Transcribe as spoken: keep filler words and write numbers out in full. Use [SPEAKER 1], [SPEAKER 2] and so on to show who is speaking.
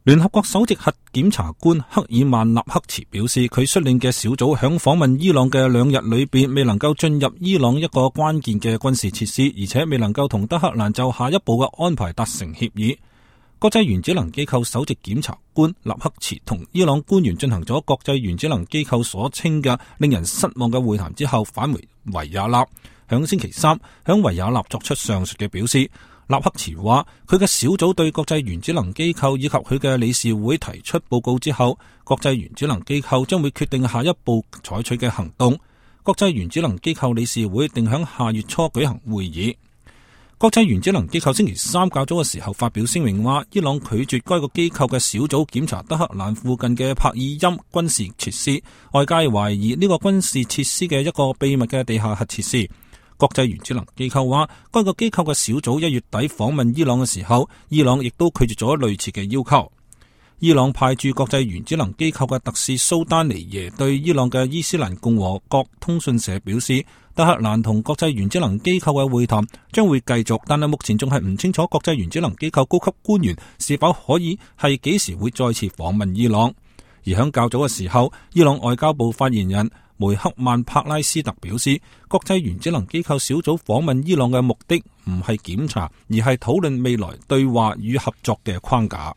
[SPEAKER 1] 聯合國首席核檢查官克爾曼納克茨表示，佢率領嘅小組響訪問伊朗嘅兩日裏邊，未能夠進入伊朗一個關鍵嘅軍事設施，而且未能夠同德黑蘭就下一步嘅安排達成協議。國際原子能機構首席檢查官納克茨同伊朗官員進行咗國際原子能機構所稱嘅令人失望嘅會談之後，返回維也納。響星期三，響維也納作出上述嘅表示。納克茨話，佢嘅小組對國際原子能機構以及佢嘅理事會提出報告之後，國際原子能機構將會決定下一步採取嘅行動。國際原子能機構理事會定響下月初舉行會議。國際原子能機構星期三較早嘅時候發表聲明話，伊朗拒絕該個機構嘅小組檢查德黑蘭附近嘅帕爾欽軍事設施，外界懷疑呢個軍事設施嘅一個秘密嘅地下核設施。國際原子能機構話，該個機構嘅小組一月底訪問伊朗嘅時候，伊朗亦都拒絕咗類似嘅要求。伊朗派駐國際原子能機構嘅特使蘇丹尼耶對伊朗嘅伊斯蘭共和國通訊社表示，德黑蘭同國際原子能機構嘅會談將會繼續，但係目前仲係唔清楚國際原子能機構高級官員是否可以係幾時會再次訪問伊朗。而響較早嘅時候，伊朗外交部發言人梅克曼帕拉斯特表示，國際原子能機構小組訪問伊朗嘅目的唔係檢查，而係討論未來對話與合作嘅框架。